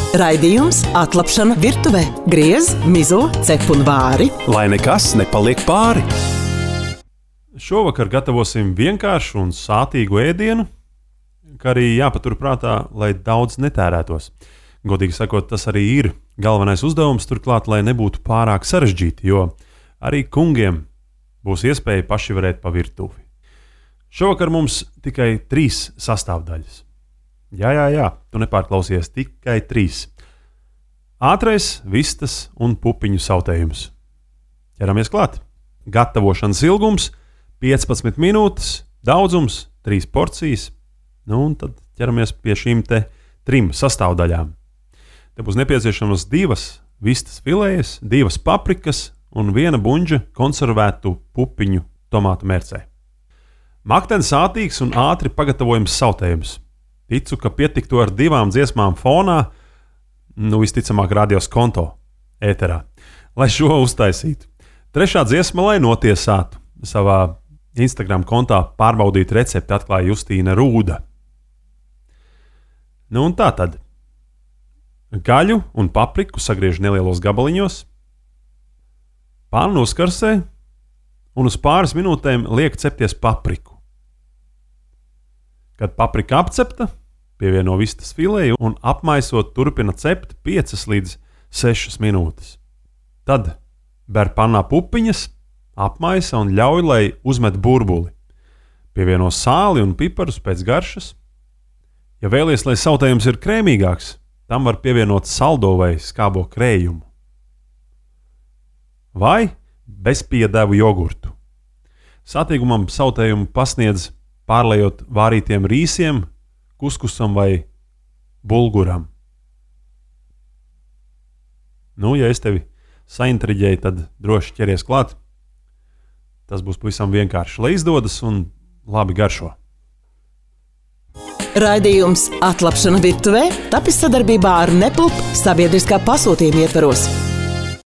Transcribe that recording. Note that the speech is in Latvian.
Raidījums Atlapšana virtuvē. Griez, mizo, cep un vāri. Lai nekas nepaliek pāri. Šovakar gatavosim vienkāršu un sātīgu ēdienu, kā arī jāpaturprātā, lai daudz netērētos. Godīgi sakot, tas arī ir galvenais uzdevums, turklāt, lai nebūtu pārāk sarežģīti, jo arī kungiem būs iespēja paši varēt pa virtuvi. Šovakar mums tikai 3 sastāvdaļas. Jā, tu nepārklausies, tikai 3. Ātrais, vistas un pupiņu sautējums. Ķeramies klāt. Gatavošanas ilgums 15 minūtes, daudzums 3 porcijas. Un tad ķeramies pie šīm 3 sastāvdaļām. Te būs nepieciešamas 2 vistas filējas, 2 paprikas un 1 buņģa konservētu pupiņu tomātu mērcē. Maktens ātīgs un ātri pagatavojams sautējums. Ticu, ka pietiktu ar 2 dziesmām fonā, visticamāk radios konto ēterā, lai šo uztaisītu. 3. dziesma, lai notiesātu. Savā Instagram kontā pārbaudīt recepti atklāja Justīna Rūda. Un tā tad. Gaļu un papriku sagriež nelielos gabaliņos, pānu uzkarsē un uz pāris minūtēm liek cepties papriku. Kad paprika apcepta, pievieno vistas filēju un apmaisot turpina cept 5 līdz 6 minūtes. Tad ber pannā pupiņas, apmaisa un ļauj, lai uzmet burbuli. Pievieno sāli un piparus pēc garšas. Ja vēlies, lai sautējums ir krēmīgāks, tam var pievienot saldo vai skābo krējumu. Vai bezpiedevu jogurtu. Satīgumam sautējumu pasniedz pārlejot vārītiem rīsiem, kuskusam vai bulguram. Ja es tevi saintriģēju, tad droši ķeries klāt. Tas būs pavisam vienkārši, lai izdodas un labi garšo. Raidījums Atlapšana virtuvē tapis sadarbībā ar Nepulp sabiedriskā pasūtījuma ietvaros.